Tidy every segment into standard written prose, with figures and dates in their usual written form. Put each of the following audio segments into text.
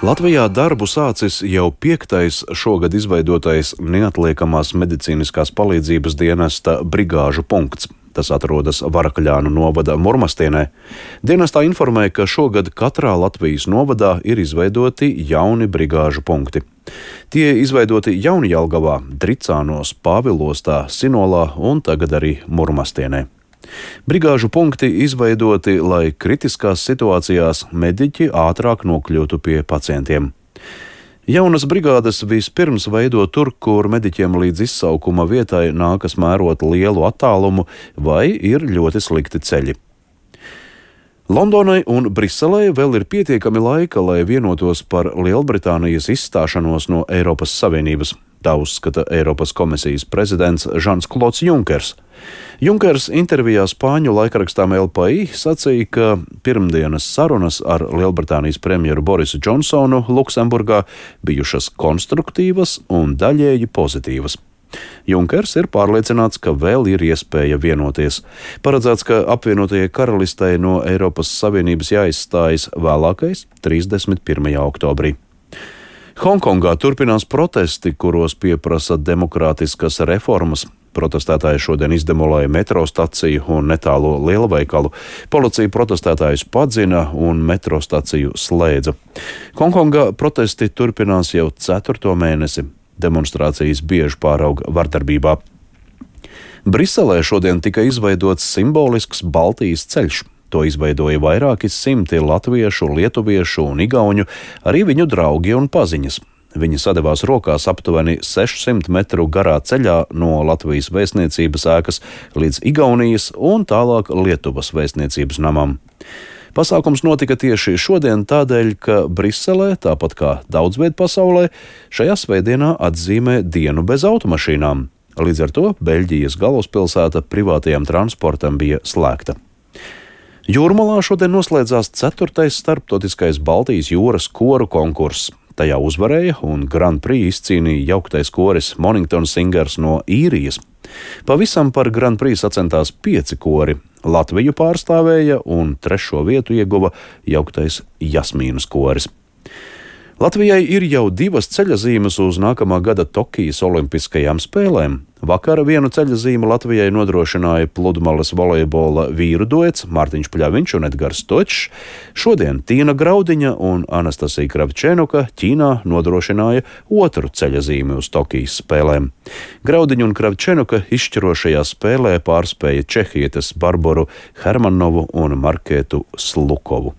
Latvijā darbu sācis jau 5. šogad izveidotais neatliekamās medicīniskās palīdzības dienesta brigāžu punkts. Tas atrodas Varakļānu novada Murmastienē. Dienestā informē, ka šogad katrā Latvijas novadā ir izveidoti jauni brigāžu punkti. Tie izveidoti Jaunjelgavā, Dricānos, Pāvilostā, Sinolā un tagad arī Murmastienē. Brigāžu punkti izveidoti, lai kritiskās situācijās mediķi ātrāk nokļūtu pie pacientiem. Jaunas brigādes vispirms veido tur, kur mediķiem līdz izsaukuma vietai nākas mērot lielu attālumu vai ir ļoti slikti ceļi. Londonai un Briselei vēl ir pietiekami laika, lai vienotos par Lielbritānijas izstāšanos no Eiropas Savienības. Tā uzskata Eiropas komisijas prezidents Žans-Klods Junkers. Junkers intervijā spāņu laikrakstām LPI sacīja, ka pirmdienas sarunas ar Lielbritānijas premjeru Borisu Džonsonu Luksemburgā bijušas konstruktīvas un daļēji pozitīvas. Junkers ir pārliecināts, ka vēl ir iespēja vienoties. Paredzēts, ka apvienotajai karalistei no Eiropas Savienības jāizstājas vēlākais 31. oktobrī. Hongkongā turpinās protesti, kuros pieprasa demokrātiskas reformas. Protestētāji šodien izdemolēja metro staciju un netālo lielveikalu. Policija protestētājus padzina un metro staciju slēdza. Hongkongā protesti turpinās jau 4. mēnesi. Demonstrācijas bieži pārauga vardarbībā. Briselē šodien tika izveidots simbolisks Baltijas ceļš. To izveidoja vairāki simti latviešu, lietuviešu un igauņu, arī viņu draugi un paziņas. Viņi sadevās rokās aptuveni 600 metru garā ceļā no Latvijas vēstniecības ēkas līdz Igaunijas un tālāk Lietuvas vēstniecības namam. Pasākums notika tieši šodien tādēļ, ka Briselē, tāpat kā daudz viet pasaulē, šajā svētdienā atzīmē dienu bez automašīnām. Līdz ar to Beļģijas galvaspilsēta privātajam transportam bija slēgta. Jūrmalā šodien noslēdzās 4. starptautiskais Baltijas jūras koru konkurss. Tajā uzvarēja un Grand Prix izcīnīja jauktais koris Mornington Singers no Īrijas. Pavisam par Grand Prix sacentās 5 kori. Latviju pārstāvēja un 3. vietu ieguva jauktais Jasmīnas koris. Latvijai ir jau 2 ceļazīmes uz nākamā gada Tokijas olimpiskajām spēlēm. Vakar vienu ceļazīmu Latvijai nodrošināja pludmales volejbola vīru duets Mārtiņš Pļaviņš un Edgars Točs. Šodien Tīna Graudiņa un Anastasija Kravčenuka Ķīnā nodrošināja 2. ceļazīmi uz Tokijas spēlēm. Graudiņa un Kravčenuka izšķirošajā spēlē pārspēja čehietes Barboru Hermanovu un Markētu Slukovu.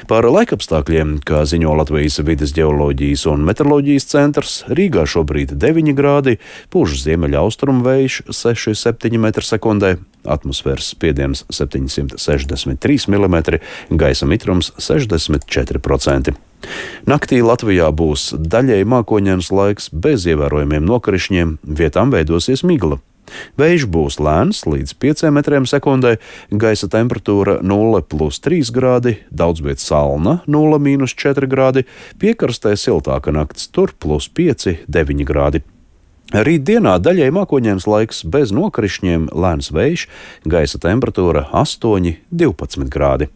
Par laikapstākļiem, kā ziņo Latvijas vides ģeoloģijas un meteoroloģijas centrs, Rīgā šobrīd 9 grādi, pūš ziemeļaustrumu vējš 6–7 m/sekundē, atmosfēras spiediens 763 mm, gaisa mitrums 64%. Naktī Latvijā būs daļēji mākoņains laiks bez ievērojamiem nokrišņiem, vietām veidosies migla. Vējš būs lēns līdz 5 m/sekundē, gaisa temperatūra 0+3 grādi, daudzviet salna 0–4 grādi, piekrastē siltāka nakts, tur +5–9 grādi. Rīt dienā daļēji mākoņains laiks bez nokrišņiem, lēns vējš, gaisa temperatūra 8–12 grādi.